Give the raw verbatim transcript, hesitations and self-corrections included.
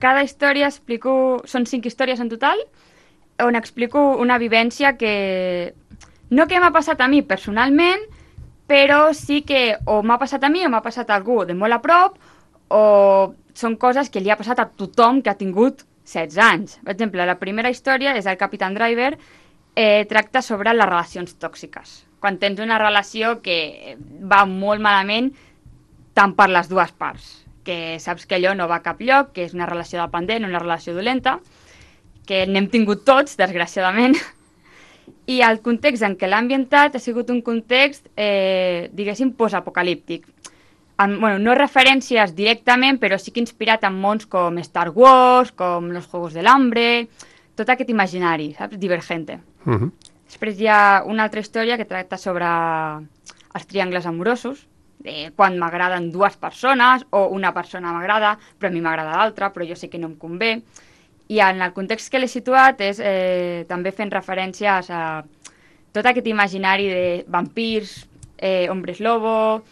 cada història explico... Són cinc històries en total, on explico una vivència que... No que m'ha passat a mi personalment, però sí que o m'ha passat a mi o m'ha passat a algú de molt a prop, o són coses que li ha passat a tothom que ha tingut setze anys. Per exemple, la primera història és el Capitán Driver, eh, tracta sobre les relacions tòxiques. Quan tens una relació que va molt malament, tant per les dues parts, que saps que allò no va a cap lloc, que és una relació dependent, una relació dolenta, que n'hem tingut tots, desgraciadament, i el context en què l'ha ambientat ha sigut un context, eh, diguéssim, postapocalíptic. Amb, bueno, no referències directament, però sí que inspirat en mons com Star Wars, com Los Juegos del Hambre, tot aquest imaginari, saps? Divergente. Uh -huh. Després hi ha una altra història que tracta sobre els triangles amorosos, de quan m'agraden dues persones, o una persona m'agrada, però a mi m'agrada l'altra, però jo sé que no em convé. I en el context que l'he situat és eh, també fent referències a tot aquest imaginari de vampirs, eh, hombres lobo,